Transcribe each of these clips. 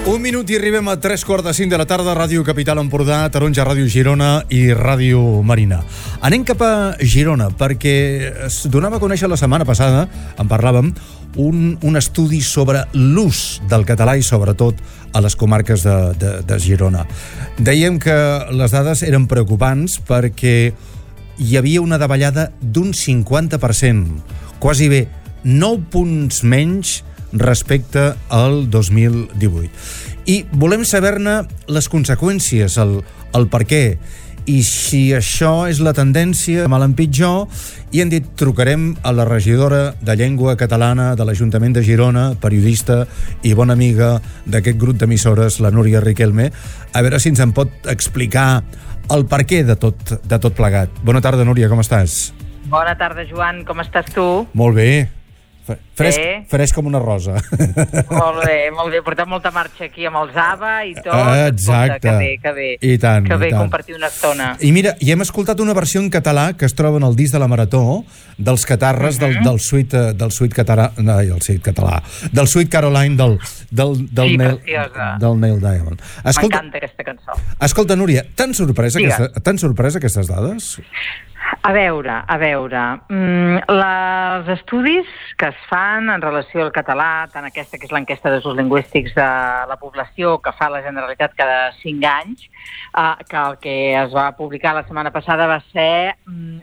Un minut i arribem a 3:45 de la tarda, Ràdio Capital Empordà, Taronja, Ràdio Girona i Ràdio Marina. Anem cap a Girona perquè es donava a conèixer la setmana passada, en parlàvem, un estudi sobre l'ús del català i sobretot a les comarques de Girona. Dèiem que les dades eren preocupants perquè hi havia una davallada d'un 50%, quasi bé 9 punts menys respecte al 2018. I volem saber-ne les conseqüències, el per què, i si això és la tendència mal en pitjor, i hem dit, trucarem a la regidora de Llengua Catalana de l'Ajuntament de Girona, periodista i bona amiga d'aquest grup d'emissores, la Núria Riquelme, a veure si ens en pot explicar el per què de tot plegat. Bona tarda, Núria, com estàs? Bona tarda, Joan, com estàs tu? Molt bé. Fresc com una rosa. Molt bé. Portem molta marxa aquí amb els ABBA i tot. Exacte. Que bé. I tant. Que bé compartir una estona. I mira, i hem escoltat una versió en català que es troba en el disc de la Marató dels catarres del suite català, del suite Caroline del Neil Diamond. M'encanta aquesta cançó. Escolta, Núria, t'han sorprès aquestes dades? A veure, els estudis que es fan en relació al català, tant aquesta que és l'enquesta d'usos lingüístics de la població que fa la Generalitat cada 5 anys, que el que es va publicar la setmana passada va ser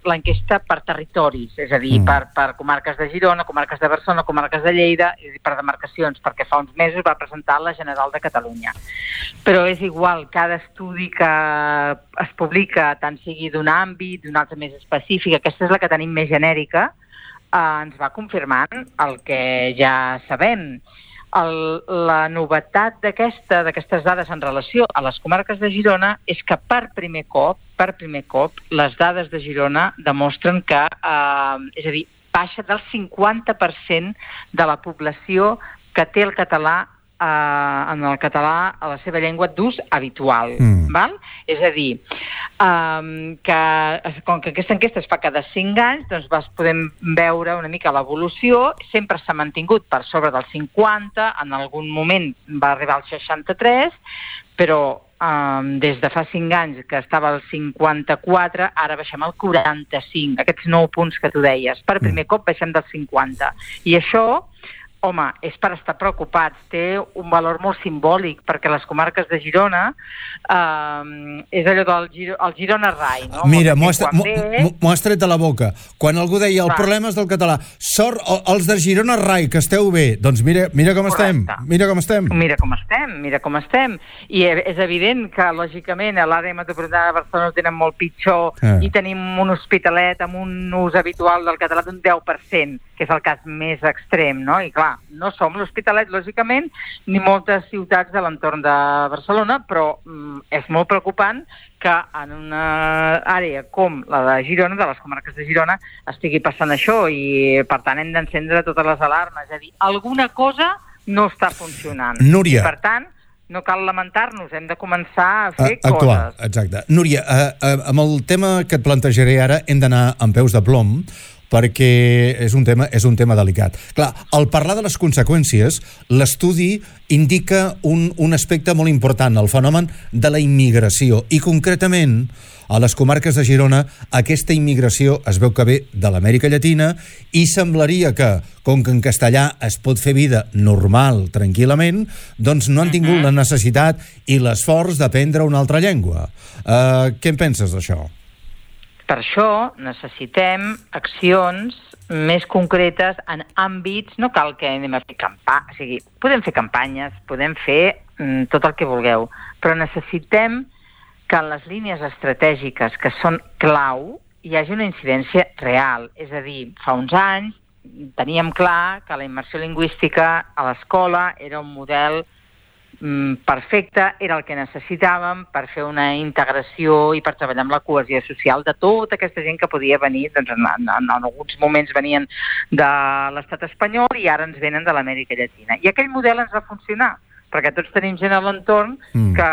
l'enquesta per territoris, és a dir, per comarques de Girona, comarques de Barcelona, comarques de Lleida, i per demarcacions, perquè fa uns mesos va presentar la General de Catalunya. Però és igual, cada estudi que es publica, tant sigui d'un àmbit, d'un altre més específic, aquesta és la que tenim més genèrica, ens va confirmant el que ja sabem. La novetat d'aquestes dades en relació a les comarques de Girona és que per primer cop, les dades de Girona demostren que, és a dir, baixa del 50% de la població que té el català a la seva llengua d'ús habitual. Val? És a dir, que com que aquesta enquesta es fa cada 5 anys, doncs podem veure una mica l'evolució. Sempre s'ha mantingut per sobre del 50, en algun moment va arribar al 63, però des de fa 5 anys que estava al 54, ara baixem al 45, aquests 9 punts que tu deies. Per primer cop baixem del 50. I això, home, és per estar preocupats, té un valor molt simbòlic, perquè les comarques de Girona és allò del Girona Rai, no? Mira, m'ho has tret de la boca. Quan algú deia, el problema és del català, sort els de Girona Rai, que esteu bé. Doncs mira com estem. Mira com estem. I és evident que, lògicament, a l'àrea metropolitana de Barcelona ho tenen molt pitjor i tenim un hospitalet amb un ús habitual del català d'un 10%, que és el cas més extrem, no? I clar, no som l'Hospitalet, lògicament, ni moltes ciutats de l'entorn de Barcelona, però és molt preocupant que en una àrea com la de Girona, de les comarques de Girona, estigui passant això i, per tant, hem d'encendre totes les alarmes. És a dir, alguna cosa no està funcionant. Núria. Per tant, no cal lamentar-nos, hem de començar a fer coses. Exacte. Núria, amb el tema que et plantejaré ara hem d'anar amb peus de plom, perquè és un tema delicat. Clar, al parlar de les conseqüències, l'estudi indica un aspecte molt important, el fenomen de la immigració, i concretament a les comarques de Girona aquesta immigració es veu que ve de l'Amèrica Llatina i semblaria que, com que en castellà es pot fer vida normal, tranquil·lament, doncs no han tingut la necessitat i l'esforç d'aprendre una altra llengua. Què en penses d'això? Per això necessitem accions més concretes en àmbits, no cal que anem a fer campanyes, o sigui, podem fer campanyes, podem fer tot el que vulgueu, però necessitem que en les línies estratègiques que són clau hi hagi una incidència real. És a dir, fa uns anys teníem clar que la immersió lingüística a l'escola era un model perfecte, era el que necessitàvem per fer una integració i per treballar amb la cohesió social de tota aquesta gent que podia venir, doncs en alguns moments venien de l'estat espanyol i ara ens venen de l'Amèrica Llatina. I aquell model ens va funcionar, perquè tots tenim gent a l'entorn que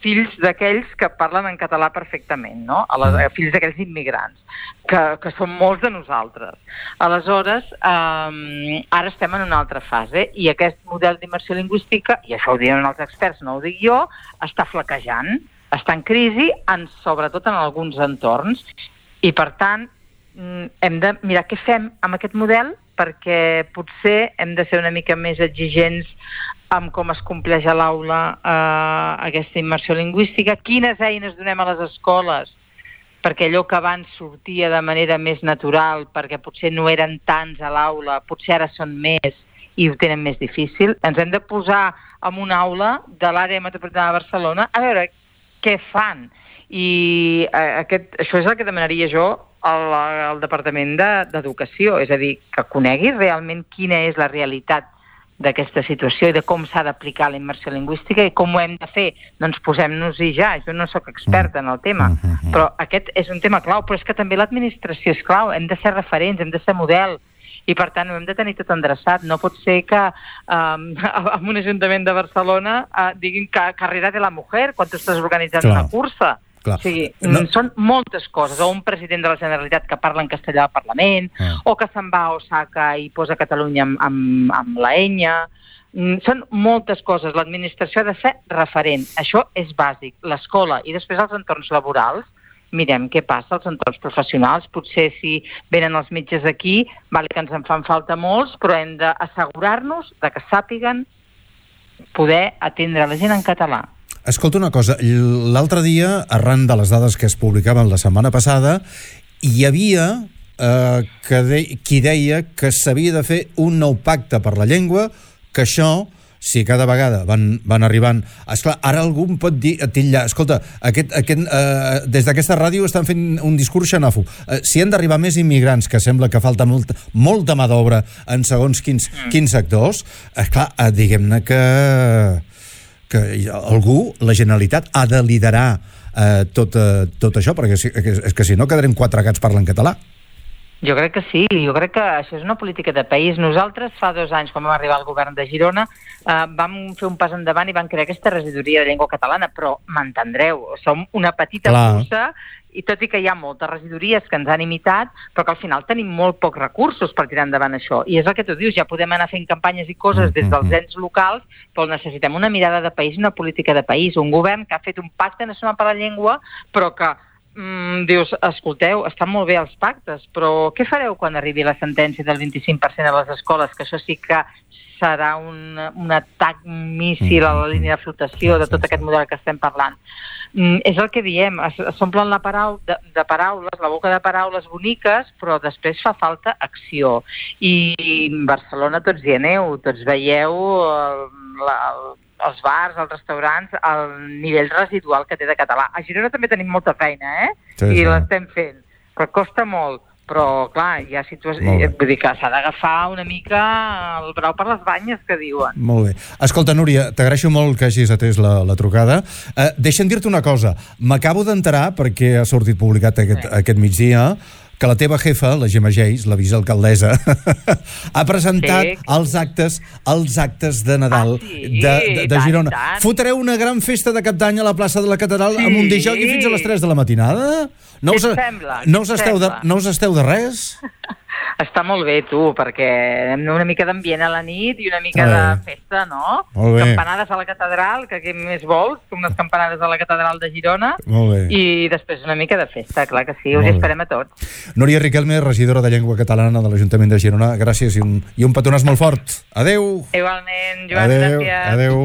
fills d'aquells que parlen en català perfectament, no? Fills d'aquells immigrants, que són molts de nosaltres. Aleshores, ara estem en una altra fase i aquest model d'immersió lingüística, i això ho diuen els experts, no ho dic jo, està flaquejant, està en crisi, sobretot en alguns entorns, i per tant hem de mirar què fem amb aquest model, perquè potser hem de ser una mica més exigents amb com es compleix a l'aula aquesta immersió lingüística, quines eines donem a les escoles, perquè allò que abans sortia de manera més natural, perquè potser no eren tants a l'aula, potser ara són més i ho tenen més difícil. Ens hem de posar en una aula de l'àrea metropolitana de Barcelona a veure què fan. I això és el que demanaria jo al Departament d'Educació, és a dir, que conegui realment quina és la realitat d'aquesta situació i de com s'ha d'aplicar la immersió lingüística i com ho hem de fer. Doncs posem-nos-hi ja. Jo no sóc experta en el tema, però aquest és un tema clau, però és que també l'administració és clau. Hem de ser referents, hem de ser model, i per tant ho hem de tenir tot endreçat. No pot ser que en un ajuntament de Barcelona diguin que carrera de la mujer quan tu estàs organitzant una cursa. Clar. O sigui, són moltes coses. O un president de la Generalitat que parla en castellà al Parlament, o que se'n va a Osaka i posa Catalunya amb la enya. Són moltes coses. L'administració ha de ser referent. Això és bàsic. L'escola i després els entorns laborals, mirem què passa als entorns professionals. Potser si venen els metges aquí, vale que ens en fan falta molts, però hem d'assegurar-nos que sàpiguen poder atendre la gent en català. Escolta una cosa, l'altre dia, arran de les dades que es publicaven la setmana passada, hi havia qui deia que s'havia de fer un nou pacte per la llengua, que això, si cada vegada van arribant... Esclar, ara algú em pot dir, titllar, escolta, des d'aquesta ràdio estan fent un discurs xenòfob. Si han d'arribar més immigrants, que sembla que falta molta mà d'obra en segons quins sectors, esclar, diguem-ne que algú, la Generalitat, ha de liderar tot això, perquè és que si no quedarem 4 gats parlant català. Jo crec que sí, jo crec que això és una política de país. Nosaltres fa 2 anys, quan vam arribar al govern de Girona, vam fer un pas endavant i vam crear aquesta regidoria de llengua catalana, però m'entendreu, som una petita cursa, i tot i que hi ha moltes regidories que ens han imitat, però que al final tenim molt pocs recursos per tirar endavant això. I és el que tu dius, ja podem anar fent campanyes i coses des dels ens locals, però necessitem una mirada de país, una política de país, un govern que ha fet un pacte nacional per la llengua, però que dius, escolteu, estan molt bé els pactes, però què fareu quan arribi la sentència del 25% a les escoles? Que això sí que serà un atac míssil a la línia de flotació de tot aquest model que estem parlant. És el que diem, s'omplen de paraules, la boca de paraules boniques, però després fa falta acció. I a Barcelona tots hi aneu, tots veieu els bars, els restaurants, el nivell residual que té de català. A Girona també tenim molta feina, Sí. I l'estem fent, però costa molt. Però, clar, hi ha situacions... Vull dir que s'ha d'agafar una mica el brau per les banyes, que diuen. Molt bé. Escolta, Núria, t'agraeixo molt que hagis atès la trucada. Deixa'm dir-te una cosa. M'acabo d'enterar, perquè ha sortit publicat aquest migdia, que la teva jefa, la Gemma Geis, la vicealcaldessa, ha presentat els actes de Nadal de Girona. Fotreu una gran festa de cap d'any a la plaça de la Catedral amb un disjockey fins a les 3 de la matinada? No us esteu de res? Està molt bé, tu, perquè hem una mica d'ambient a la nit i una mica de festa, no? Campanades a la catedral, que què més vols? Unes campanades a la catedral de Girona. I després una mica de festa, clar que sí, us hi esperem a tots. Núria Riquelme, regidora de Llengua Catalana de l'Ajuntament de Girona, gràcies i un petonàs molt fort. Adéu! Igualment, Joan, gràcies. Adéu.